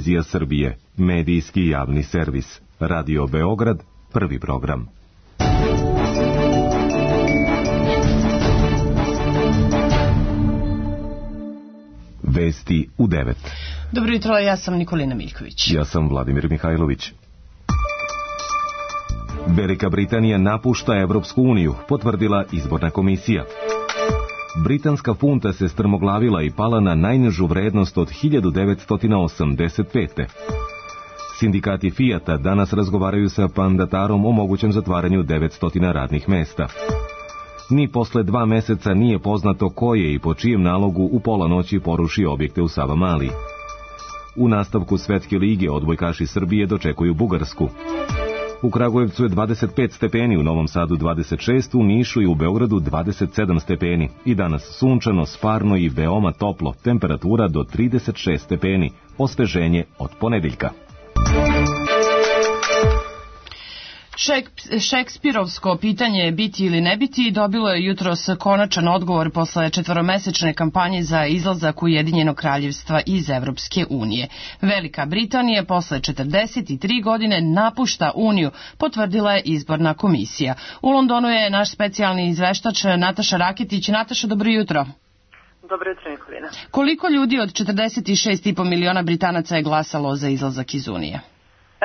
Televizija Srbije, medijski javni servis. Radio Beograd, prvi program. Vesti u 9. Dobro jutro, ja sam Nikolina Miljković. Ja sam Vladimir Mihajlović. Velika Britanija napušta Evropsku uniju, potvrdila izborna komisija. Britanska funta se strmoglavila i pala na najnižu vrednost od 1985. Sindikati Fijata danas razgovaraju sa mandatarom o mogućem zatvaranju 900 radnih mesta. Ni posle 2 meseca nije poznato ko je i po čijem nalogu u pola noći porušio objekte u Savamali. U nastavku Svetske lige odbojkaši Srbije dočekuju Bugarsku. U Kragujevcu je 25 stepeni, u Novom Sadu 26, u Nišu i u Beogradu 27 stepeni. I danas sunčano, sparno i veoma toplo, temperatura do 36 stepeni, osveženje od ponedeljka. Šekspirovsko pitanje biti ili ne biti dobilo je jutros konačan odgovor posle 4-mesečne kampanje za izlazak Ujedinjenog kraljevstva iz Evropske unije. Velika Britanija posle 43 godine napušta Uniju, potvrdila je izborna komisija. U Londonu je naš specijalni izveštač Nataša Raketić. Nataša, dobro jutro. Dobro jutro, Nikolina. Koliko ljudi od 46,5 miliona Britanaca je glasalo za izlazak iz Unije?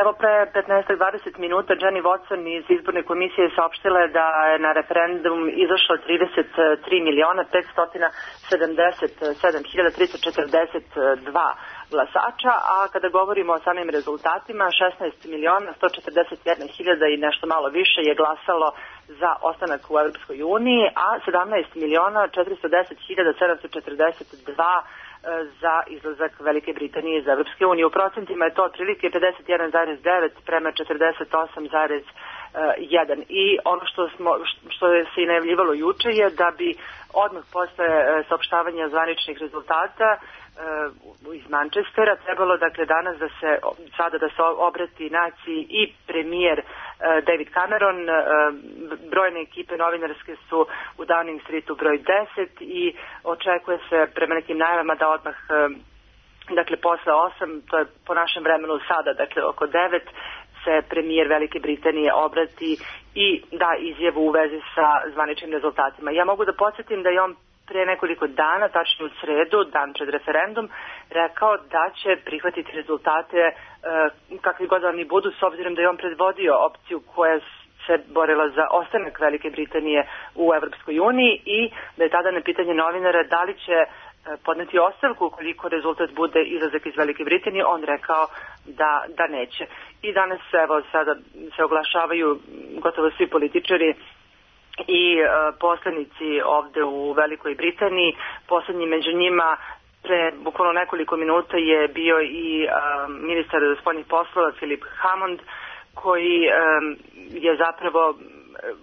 Evo, pre 15-20 minuta Jenny Watson iz izborne komisije saopštila je da je na referendum izašlo 33.077.342 glasača, a kada govorimo o samim rezultatima, 16.141.000 i nešto malo više je glasalo za ostanak u Evropskoj uniji, a 17.410.742 za izlazak Velike Britanije iz Evropske unije. U procentima je to otprilike 51,9 prema 48,1. I ono što se i najavljivalo juče je da bi odmah posle saopštavanja zvaničnih rezultata iz Manchestera trebalo dakle danas da se obrati naciji i premijer David Cameron. Brojne ekipe novinarske su u Downing Streetu broj 10 i očekuje se prema nekim najavama da odmah dakle posle 8, to je po našem vremenu sada, dakle oko 9, se premijer Velike Britanije obrati i da izjavu u vezi sa zvaničnim rezultatima. Ja mogu da podsjetim da je on pre nekoliko dana, tačnije u sredu, dan pred referendum, rekao da će prihvatiti rezultate kakvi god oni budu, s obzirom da je on predvodio opciju koja se borila za ostanak Velike Britanije u Evropskoj uniji i da je tada na pitanje novinara da li će podneti ostavku ukoliko rezultat bude izlazak iz Velike Britanije, on rekao da neće. I danas evo sada se oglašavaju gotovo svi političari i poslanici ovde u Velikoj Britaniji. Poslednji među njima pre bukvalno nekoliko minuta je bio i ministar spoljnih poslova Philip Hammond, koji je zapravo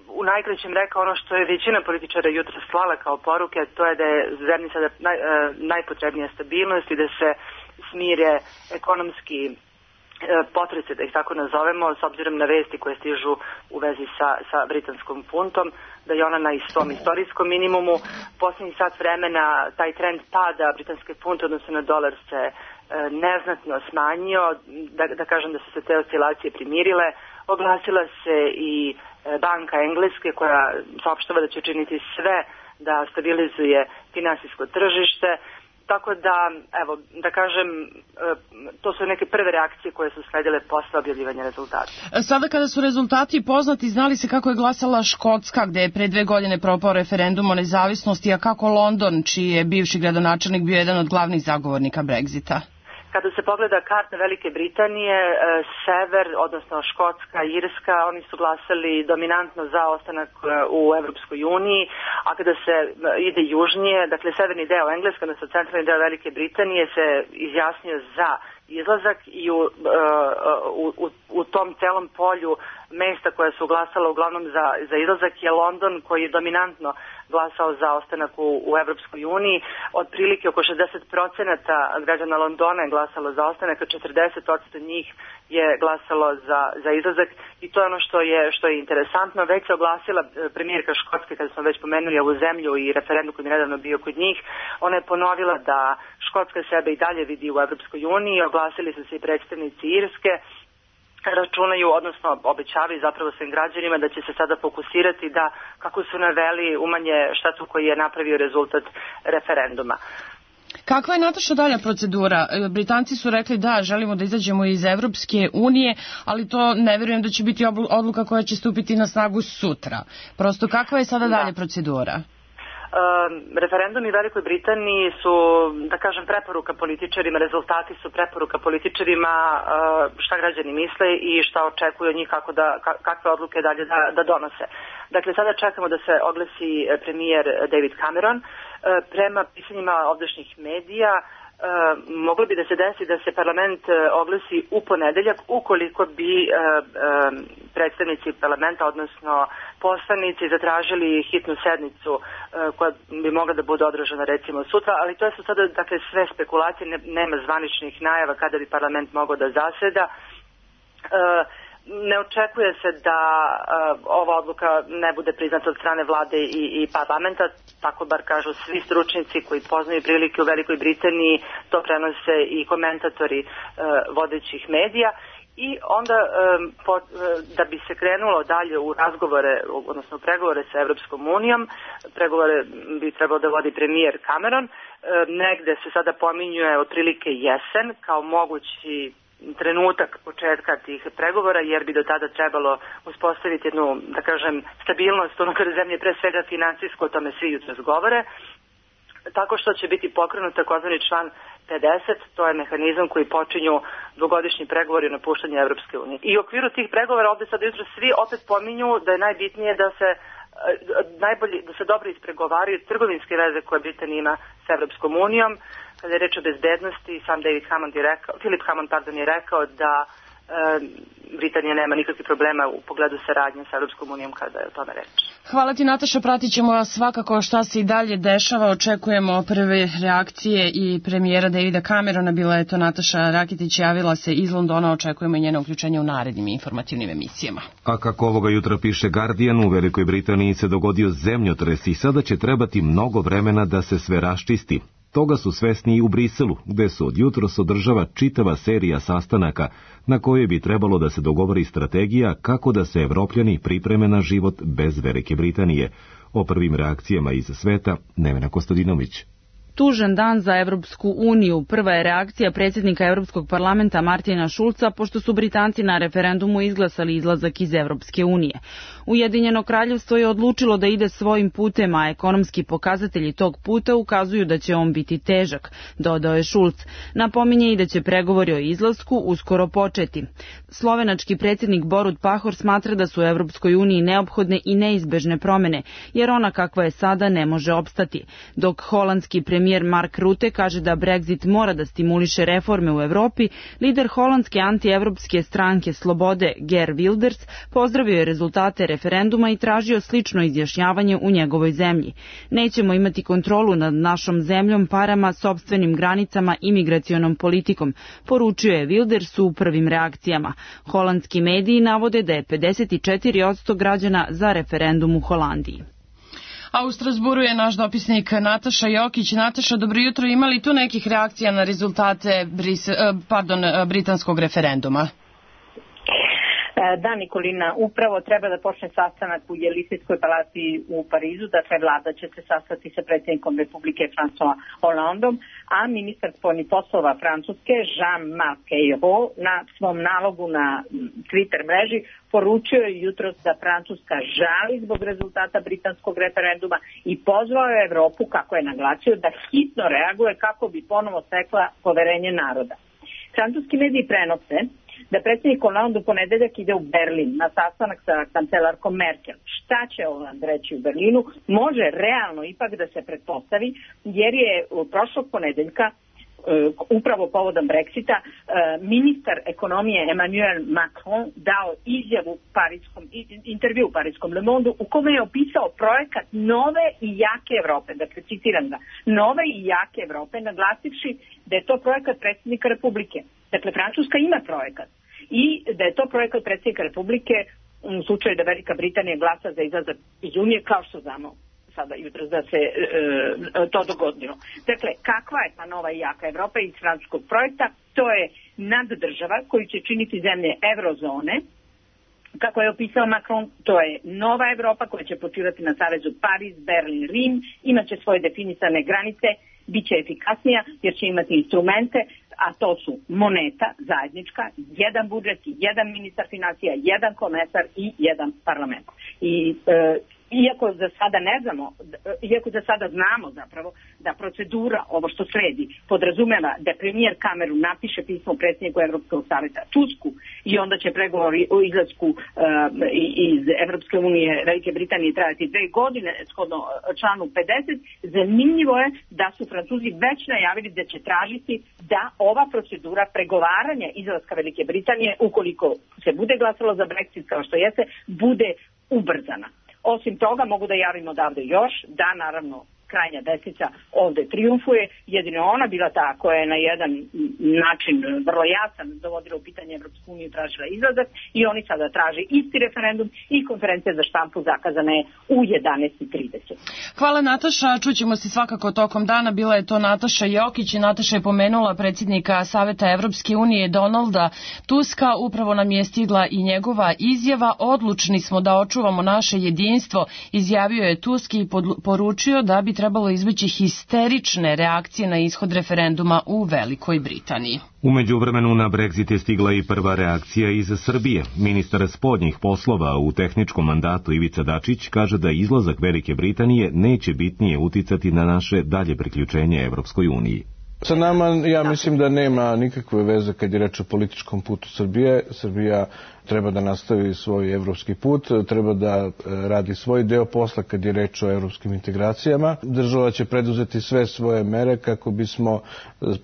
u najkraćem rekao ono što je većina političara jutro slala kao poruke, to je da je zemlji sada najpotrebnija stabilnost i da se smire ekonomski potrese, da ih tako nazovemo, s obzirom na vesti koje stižu u vezi sa britanskom funtom, da je ona na svom istorijskom minimumu. Poslednji sat vremena taj trend pada britanske funte, odnosno na dolar, se neznatno smanjio, da kažem da su se te oscilacije primirile. Oglasila se i Banka Engleske koja saopštava da će činiti sve da stabilizuje finansijsko tržište. Tako da, evo, da kažem, to su neke prve reakcije koje su sledile posle objavljivanja rezultata. Sada kada su rezultati poznati, znali se kako je glasala Škotska, gde je pre 2 godine propao referendum o nezavisnosti, a kako London, čiji je bivši gradonačelnik bio jedan od glavnih zagovornika Brexita? Kada se pogleda karta Velike Britanije, sever, odnosno Škotska, Irska, oni su glasali dominantno za ostanak u Evropskoj uniji, a kada se ide južnije, dakle severni deo Engleska, odnosno centralni deo Velike Britanije se izjasnio za izlazak i u tom celom polju mesta koja su glasala uglavnom za izlazak je London, koji je dominantno glasao za ostanak u Evropskoj uniji. Otprilike oko 60% građana Londona je glasalo za ostanak, a 40% njih je glasalo za izlazak i to je ono što je interesantno. Već se oglasila premijerka Škotske, kada smo već pomenuli ovu zemlju i referendum koji je nedavno bio kod njih. Ona je ponovila da Škotska sebe i dalje vidi u Evropskoj uniji, oglasili su se i predstavnici Irske, računaju, odnosno obećavaju zapravo svim građanima da će se sada fokusirati da, kako su naveli, umanje štetu koji je napravio rezultat referenduma. Kakva je, Nataša, dalja procedura? Britanci su rekli da želimo da izađemo iz Evropske unije, ali to ne verujem da će biti odluka koja će stupiti na snagu sutra. Prosto, kakva je sada dalja procedura? Referendumi u Velikoj Britaniji su, da kažem, preporuka političarima, rezultati su preporuka političarima šta građani misle i šta očekuju od njih, kakve odluke dalje da donose. Dakle, sada čekamo da se oglasi premijer David Cameron. Prema pisanjima ovdašnjih medija, moglo bi da se desi da se parlament oglasi u ponedeljak ukoliko bi predstavnici parlamenta, odnosno poslanici, zatražili hitnu sednicu koja bi mogla da bude održana recimo sutra, ali to su sada dakle sve spekulacije, nema zvaničnih najava kada bi parlament mogao da zaseda. Ne očekuje se da ova odluka ne bude priznata od strane vlade i parlamenta, tako bar kažu svi stručnjaci koji poznaju prilike u Velikoj Britaniji, to prenose i komentatori vodećih medija. I onda da bi se krenulo dalje u razgovore, odnosno pregovore sa Evropskom unijom, pregovore bi trebalo da vodi premijer Cameron, negde se sada pominjuje otprilike jesen kao mogući trenutak početka tih pregovora, jer bi do tada trebalo uspostaviti jednu, da kažem, stabilnost unutar zemlje, pre svega finansijsko, o tome svi jutros govore, tako što će biti pokrenut takozvani član 50, to je mehanizam koji počinju dvogodišnji pregovori o napuštanju Evropske unije. I u okviru tih pregovora ovde sada jutros svi opet pominju da je najbitnije da se dobro ispregovaraju trgovinske veze koje Britanija ima s Evropskom unijom. Kada je reč o bezbednosti, sam Philip Hammond je rekao da Britanija nema nikakvih problema u pogledu saradnje sa Evropskom unijom kada je o tome reč. Hvala ti, Nataša, pratit ćemo svakako šta se i dalje dešava, očekujemo prve reakcije i premijera Davida Camerona, bila je to Nataša Rakitić, javila se iz Londona, očekujemo i njeno uključenje u narednim informativnim emisijama. A kako ovoga jutra piše Guardian, u Velikoj Britaniji se dogodio zemljotres i sada će trebati mnogo vremena da se sve raščisti. Toga su svesni i u Briselu, gde se od jutros održava čitava serija sastanaka na kojoj bi trebalo da se dogovori strategija kako da se Evropljani pripreme na život bez Velike Britanije. O prvim reakcijama iz sveta Nevena Kostadinović. Tužan dan za Evropsku uniju. Prva je reakcija predsjednika Evropskog parlamenta Martina Šulca, pošto su Britanci na referendumu izglasali izlazak iz Evropske unije. Ujedinjeno kraljevstvo je odlučilo da ide svojim putem, a ekonomski pokazatelji tog puta ukazuju da će on biti težak, dodao je Šulc. Napominje i da će pregovori o izlasku uskoro početi. Slovenački predsjednik Borut Pahor smatra da su u Evropskoj uniji neophodne i neizbežne promjene, jer ona kakva je sada ne može opstati, dok holandski premijer Mark Rutte kaže da Brexit mora da stimuliše reforme u Evropi, lider holandske antievropske stranke Slobode Geert Wilders pozdravio je rezultate referenduma i tražio slično izjašnjavanje u njegovoj zemlji. Nećemo imati kontrolu nad našom zemljom, parama, sopstvenim granicama i migracionom politikom, poručio je Wilders u prvim reakcijama. Holandski mediji navode da je 54% građana za referendum u Holandiji. A u Strasburu je naš dopisnik Nataša Jokić. Nataša, dobro jutro. Ima li tu nekih reakcija na rezultate britanskog referenduma? Da, Nikolina, upravo treba da počne sastanak u Jelisejskoj palati u Parizu, dakle vlada će se sastati sa predsjednikom Republike François Hollandom, a ministar spoljnih poslova Francuske Jean-Marc Ayrault na svom nalogu na Twitter mreži poručio je jutros da Francuska žali zbog rezultata britanskog referenduma i pozvao je Evropu, kako je naglasio, da hitno reaguje kako bi ponovo stekla poverenje naroda. Francuski mediji prenose da predsjednik Hollande u ponedeljak ide u Berlin na sastanak sa kancelarkom Merkel. Šta će Hollande reći u Berlinu može realno ipak da se pretpostavi, jer je prošlog ponedeljka upravo povodom Brexita ministar ekonomije Emmanuel Macron dao izjavu intervju u parijskom Le Monde u kome je opisao projekat nove i jake Evrope, dakle citiram ga, nove i jake Evrope, naglasivši da je to projekat predsjednika Republike. Dakle, Francuska ima projekat i da je to projekat predsjednika Republike u slučaju da Velika Britanija glasa za izlazak iz Unije, kao što znamo. sada jutros da se to dogodilo. Dakle, kakva je ta nova i jaka Evropa iz francuskog projekta? To je naddržava koju će činiti zemlje eurozone. Kako je opisao Macron, to je nova Evropa koja će počivati na savezu Pariz, Berlin, Rim, imaće svoje definisane granice, bit će efikasnija jer će imati instrumente, a to su moneta zajednička, jedan budžet, jedan ministar financija, jedan komesar i jedan parlament. I iako za sada ne znamo, iako za sada znamo zapravo da procedura, ovo što sledi, podrazumeva da premijer Cameron napiše pismo predsjedniku Evropskog savjeta Tusku i onda će pregovori o izlasku iz Evropske unije Velike Britanije trajati 2 godine shodno članu 50, zanimljivo je da su Francuzi već najavili da će tražiti da ova procedura pregovaranja izlaska Velike Britanije, ukoliko se bude glasalo za Brexit kao što jeste, bude ubrzana. Osim toga, mogu da javim odavde još da, naravno, krajnja desnica ovde triumfuje, jedino ona bila ta koja je na jedan način vrlo jasan dovodila u pitanje Evropsku uniju i tražila izlazak i oni sada traže isti referendum i konferencija za štampu zakazana je u 11:30. Hvala Nataša, čućemo se svakako tokom dana. Bila je to Nataša Jokić i Nataša je pomenula predsjednika Saveta Evropske unije Donalda Tuska. Upravo nam je stigla i njegova izjava. Odlučni smo da očuvamo naše jedinstvo, izjavio je Tusk i poručio da bi trebalo izbeći histerične reakcije na ishod referenduma u Velikoj Britaniji. U međuvremenu na Brexit je stigla i prva reakcija iz Srbije. Ministar spoljnih poslova u tehničkom mandatu Ivica Dačić kaže da izlazak Velike Britanije neće bitnije uticati na naše dalje priključenje Evropskoj uniji. Sa nama, ja mislim da nema nikakve veze kad je reč o političkom putu Srbije. Srbija treba da nastavi svoj evropski put, treba da radi svoj deo posla kad je reč o evropskim integracijama. Država će preduzeti sve svoje mere kako bismo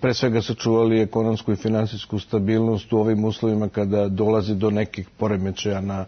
pre svega sačuvali ekonomsku i finansijsku stabilnost u ovim uslovima kada dolazi do nekih poremećaja na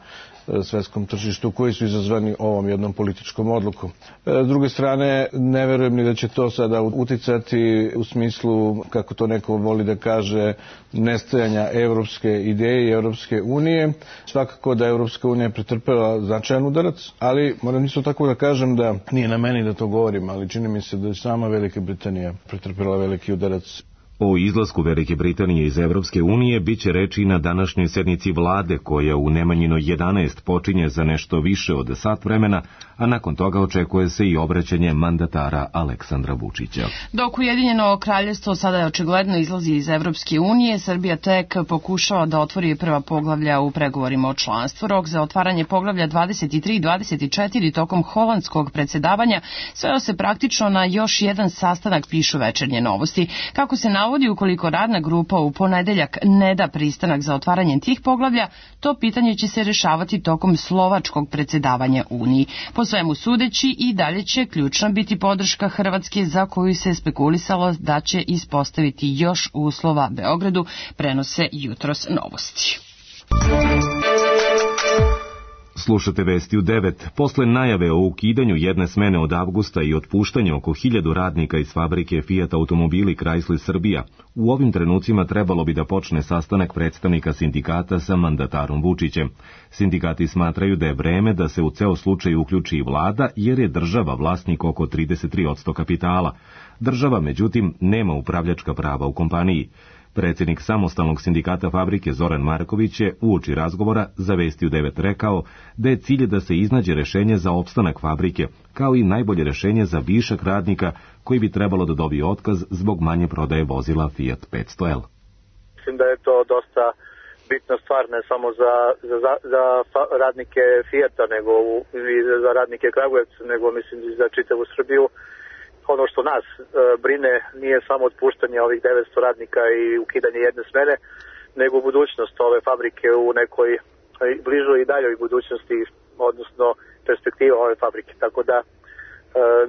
svetskom tržištu koji su izazvani ovom jednom političkom odlukom. S druge strane, ne verujem ni da će to sada uticati u smislu, kako to neko voli da kaže, nestajanja evropske ideje i Evropske unije. Svakako da Evropska unija pretrpela značajan udarac, ali moram isto tako da kažem da nije na meni da to govorim, ali čini mi se da je sama Velika Britanija pretrpela veliki udarac. O izlasku Velike Britanije iz Evropske unije biće reči na današnjoj sednici vlade koja u Nemanjinoj 11 počinje za nešto više od sat vremena, a nakon toga očekuje se i obraćanje mandatara Aleksandra Vučića. Dok Ujedinjeno kraljevstvo sada je očigledno izlazi iz Evropske unije, Srbija tek pokušava da otvori prva poglavlja u pregovorima o članstvu. Rok za otvaranje poglavlja 23 i 24 tokom holandskog predsjedavanja sveo se praktično na još jedan sastanak, pišu Večernje novosti. Kako se navodi, ukoliko radna grupa u ponedeljak ne da pristanak za otvaranje tih poglavlja, to pitanje će se rešavati tokom slovačkog predsjedavanja Uniji. Po svemu sudeći i dalje će ključna biti podrška Hrvatske za koju se spekulisalo da će ispostaviti još uslova Beogradu, prenose jutros novosti. Slušate vesti u 9. Posle najave o ukidanju jedne smene od avgusta i otpuštanju oko 1000 radnika iz fabrike Fiat automobili Chrysler Srbija, u ovim trenucima trebalo bi da počne sastanak predstavnika sindikata sa mandatarom Vučićem. Sindikati smatraju da je vreme da se u ceo slučaj uključi i vlada, jer je država vlasnik oko 33% kapitala. Država, međutim, nema upravljačka prava u kompaniji. Predsjednik samostalnog sindikata fabrike Zoran Marković je uoči razgovora za Vesti u 9 rekao da je cilj da se iznađe rešenje za opstanak fabrike, kao i najbolje rešenje za višak radnika koji bi trebalo da dobije otkaz zbog manje prodaje vozila Fiat 500L. Mislim da je to dosta bitna stvar ne samo za radnike Fiata nego i za radnike Kragujevca, nego mislim i za čitavu Srbiju. Ono što nas brine nije samo otpuštanje ovih 900 radnika i ukidanje jedne smene, nego budućnost ove fabrike u nekoj bližoj i daljoj budućnosti, odnosno perspektiva ove fabrike. Tako da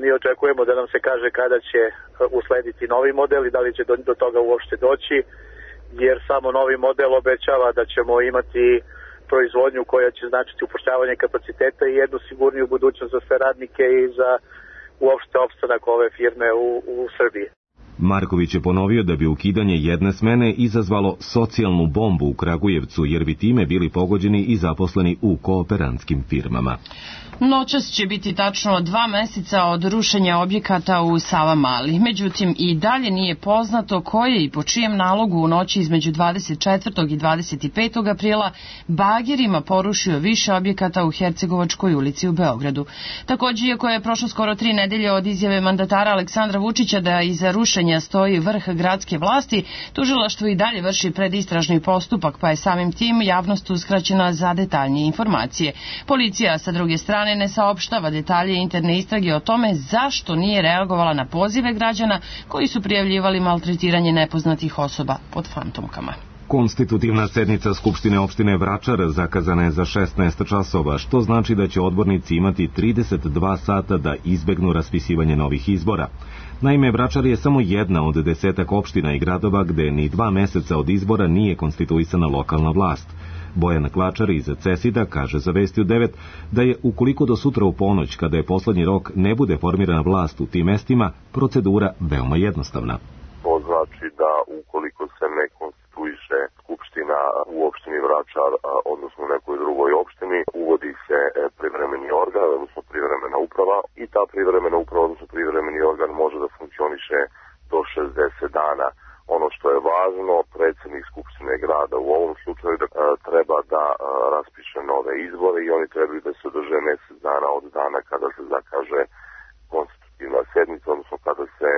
mi očekujemo da nam se kaže kada će uslediti novi model i da li će do toga uopšte doći, jer samo novi model obećava da ćemo imati proizvodnju koja će značiti upošljavanje kapaciteta i jednu sigurniju budućnost za sve radnike i za uopšte opstanak ove firme u Srbiji. Marković je ponovio da bi ukidanje jedne smene izazvalo socijalnu bombu u Kragujevcu, jer bi time bili pogođeni i zaposleni u kooperantskim firmama. Noćas će biti tačno 2 meseca od rušenja objekata u Savamali. Međutim, i dalje nije poznato ko je i po čijem nalogu u noći između 24. i 25. aprila bagerima porušio više objekata u Hercegovačkoj ulici u Beogradu. Također, iako je prošlo skoro 3 nedelje od izjave mandatara Aleksandra Vučića da iza rušenja stoji vrh gradske vlasti, tužilaštvo i dalje vrši predistražni postupak, pa je samim tim javnost uskraćena za detaljnije informacije. Policija, sa druge strane, ne saopštava detalje interne istrage o tome zašto nije reagovala na pozive građana koji su prijavljivali maltretiranje nepoznatih osoba pod fantomkama. Konstitutivna sednica Skupštine opštine Vračar zakazana je za 16 časova, što znači da će odbornici imati 32 sata da izbegnu raspisivanje novih izbora. Naime, Vračar je samo jedna od 10 opština i gradova gde ni 2 meseca od izbora nije konstituisana lokalna vlast. Bojan Klačar iz CESID-a kaže za Vesti u 9 da je, ukoliko do sutra u ponoć, kada je poslednji rok, ne bude formirana vlast u tim mestima, procedura veoma jednostavna. To znači da ukoliko se ne konstituiše skupština u opštini Vračar, odnosno u nekoj drugoj opštini, uvodi se privremeni organ, odnosno privremena uprava, i ta privremena uprava, odnosno privremeni organ može da funkcioniše do 60 dana. Ono što je važno, predsjednik Skupštine grada u ovom slučaju treba da raspiše nove izbore i oni trebaju da se održe mjesec dana od dana kada se zakaže konstitutivna sednica, odnosno kada se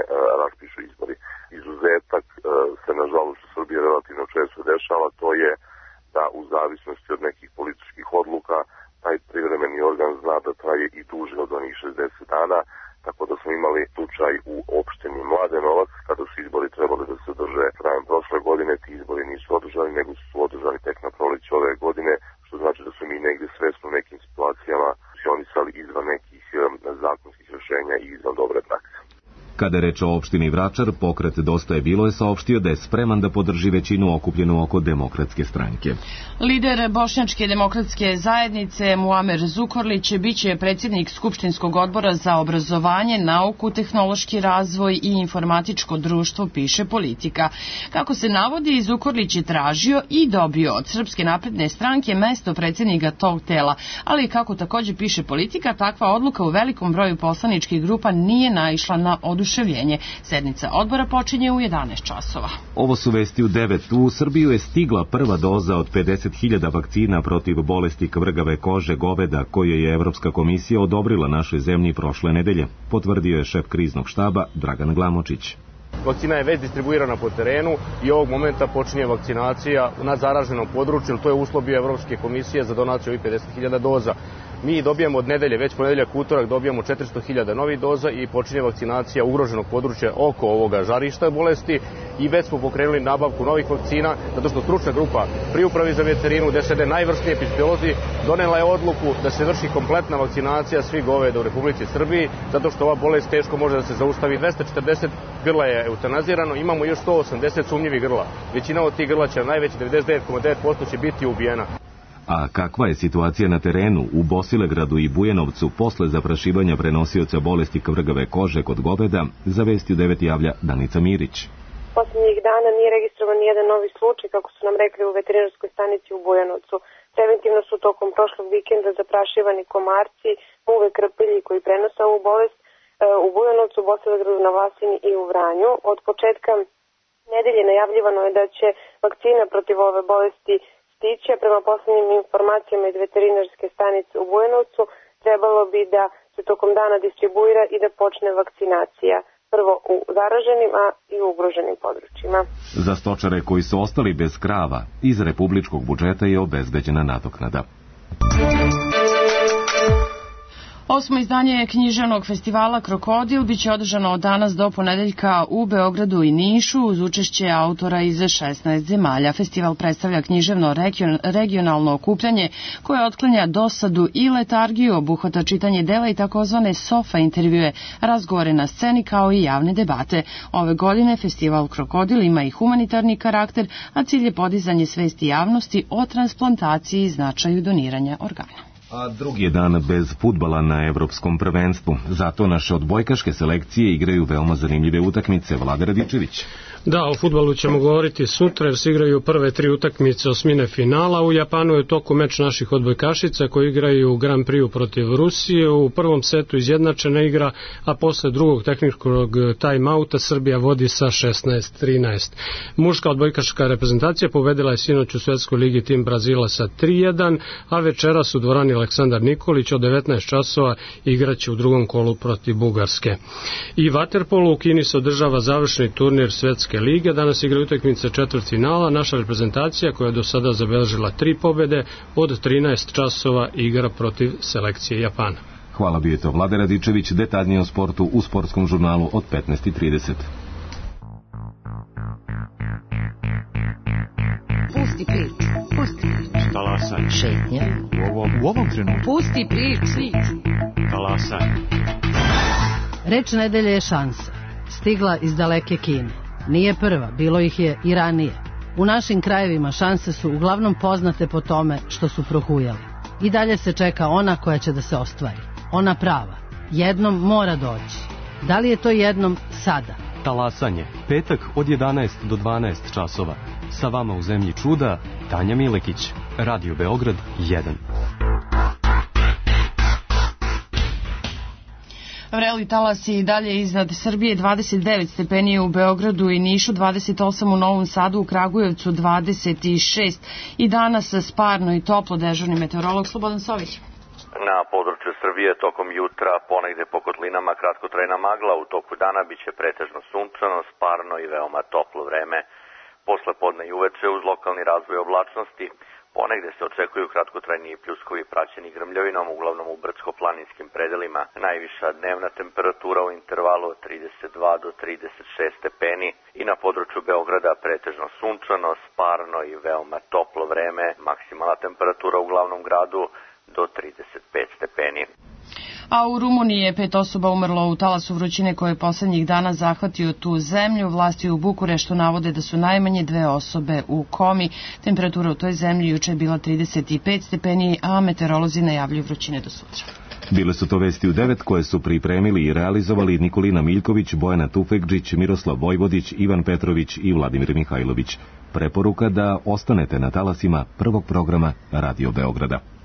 raspišu izbori. Izuzetak se, nažalost, u Srbiji relativno često dešava, to je da u zavisnosti od nekih političkih odluka taj privremeni organ zna da traje i duže od onih 60 dana, tako da smo imali slučaj u opštini Mladenovac, kada su izbori trebali da se održe krajem prošle godine, ti izbori nisu održani, nego su održani tek na proleće ove godine, što znači da su mi negdje svesno u nekim situacijama funkcionisali izvan nekih zakonskih rješenja i izvan dobre prakse. Kada je reč o opštini Vračar, pokret Dosta je bilo je saopštio da je spreman da podrži većinu okupljenu oko Demokratske stranke. Lider Bošnjačke demokratske zajednice Muamer Zukorlić biće predsjednik Skupštinskog odbora za obrazovanje, nauku, tehnološki razvoj i informatičko društvo, piše Politika. Kako se navodi, Zukorlić je tražio i dobio od Srpske napredne stranke mesto predsjednika tog tela, ali kako također piše Politika, takva odluka u velikom broju poslaničkih grupa nije naišla na oduševljenje. Sednica odbora počinje u 11 časova. Ovo su Vesti u 9. U Srbiju je stigla prva doza od 50.000 vakcina protiv bolesti kvrgave kože goveda koje je Evropska komisija odobrila našoj zemlji prošle nedelje, potvrdio je šef kriznog štaba Dragan Glamočić. Vakcina je već distribuirana po terenu i ovog momenta počinje vakcinacija na zaraženom području, to je uslov bio Evropske komisije za donaciju ovih 50.000 doza. Mi dobijamo od nedelje, već ponedeljak utorak dobijamo 400.000 novih doza i počinje vakcinacija ugroženog područja oko ovoga žarišta bolesti i već smo pokrenuli nabavku novih vakcina, zato što stručna grupa pri upravi za veterinu, gde sede najvrsniji epidemiolozi, donela je odluku da se vrši kompletna vakcinacija svih goveda u Republici Srbiji, zato što ova bolest teško može da se zaustavi. 240 grla je eutanazirano, imamo još 180 sumnjivih grla. Većina od tih grla će, najveći 99,9% će biti ubijena. A kakva je situacija na terenu u Bosilegradu i Bujanovcu posle zaprašivanja prenosioca bolesti kvrgave kože kod goveda, za Vesti u 9 javlja Danica Mirić. Posljednjih dana nije registrovan nijedan novi slučaj, kako su nam rekli u veterinarskoj stanici u Bujanovcu. Preventivno su tokom prošlog vikenda zaprašivani komarci, muve, krpilji koji prenose ovu bolest u Bujanovcu, Bosilegradu, na Vlasini i u Vranju. Od početka nedelje najavljivano je da će vakcina protiv ove bolesti stići, a prema posljednjim informacijama iz veterinarske stanice u Bujanovcu trebalo bi da se tokom dana distribuira i da počne vakcinacija. Prvo u zaraženim, a i u ugroženim područjima. Za stočare koji su ostali bez krava, iz republičkog budžeta je obezbeđena nadoknada. 8. izdanje književnog festivala Krokodil biće održano od danas do ponedeljka u Beogradu i Nišu uz učešće autora iz 16 zemalja. Festival predstavlja književno regionalno okupljanje koje otklanja dosadu i letargiju, obuhvata čitanje dela i takozvane sofa intervjue, razgovore na sceni kao i javne debate. Ove godine festival Krokodil ima i humanitarni karakter, a cilj je podizanje svesti javnosti o transplantaciji i značaju doniranja organa. A drugi je dan bez fudbala na evropskom prvenstvu. Zato naše odbojkaške selekcije igraju veoma zanimljive utakmice. Vlada Radičević. Da, o fudbalu ćemo govoriti sutra jer se igraju prve 3 utakmice osmine finala. U Japanu je toku meč naših odbojkašica koji igraju Grand Prix protiv Rusije. U prvom setu izjednačena igra, a posle drugog tehničkog time-outa Srbija vodi sa 16-13. Muška odbojkaška reprezentacija pobedila je sinoć u Svetskoj ligi tim Brazila sa 3-1, a večeras u dvorani Aleksandar Nikolić od 19 časova igraće u drugom kolu protiv Bugarske. I vaterpolu u Kini se održava završni turnir Svetske lige. Danas igra utakmice četvrtfinala. Naša reprezentacija koja je do sada zabeležila 3 pobede od 13 časova igra protiv selekcije Japana. Hvala, bio je to Vlada Radičević. Detaljnije o sportu u sportskom žurnalu od 15:30. Pusti priču. Pusti priču. Talasaj. Šetnja. U ovom trenutku. Pusti priču. Talasaj. Reč nedelje je šansa. Stigla iz daleke Kine. Nije prva, bilo ih je i ranije. U našim krajevima šanse su uglavnom poznate po tome što su prohujale. I dalje se čeka ona koja će da se ostvari. Ona prava. Jednom mora doći. Da li je to jednom sada? Talasanje. Petak od 11 do 12 časova. Sa vama u zemlji čuda, Tanja Milekić. Radio Beograd 1. Vreli talas je i dalje iznad Srbije, 29 stepeni u Beogradu i Nišu, 28 u Novom Sadu, u Kragujevcu 26 i danas sparno i toplo. Dežurni meteorolog Slobodan Sović. Na području Srbije tokom jutra ponegde po kotlinama kratkotrajna magla, u toku dana biće pretežno sunčano, sparno i veoma toplo vreme. Posle podne i uveče uz lokalni razvoj oblačnosti ponegde se očekuju kratkotrajni pljuskovi praćeni grmljavinom, uglavnom u brdsko-planinskim predelima. Najviša dnevna temperatura u intervalu od 32 do 36 stepeni i na području Beograda pretežno sunčano, sparno i veoma toplo vreme. Maksimalna temperatura u glavnom gradu do 35 stepeni. A u Rumuniji je 5 osoba umrlo u talasu vrućine koje je poslednjih dana zahvatio tu zemlju. Vlasti u Bukureštu navode da su najmanje 2 osobe u komi. Temperatura u toj zemlji juče je bila 35 stepeni, a meteorolozi najavljuju vrućine do sutra. Bile su to vesti u 9 koje su pripremili i realizovali Nikolina Miljković, Bojana Tufekđić, Miroslav Vojvodić, Ivan Petrović i Vladimir Mihajlović. Preporuka da ostanete na talasima prvog programa Radio Beograda.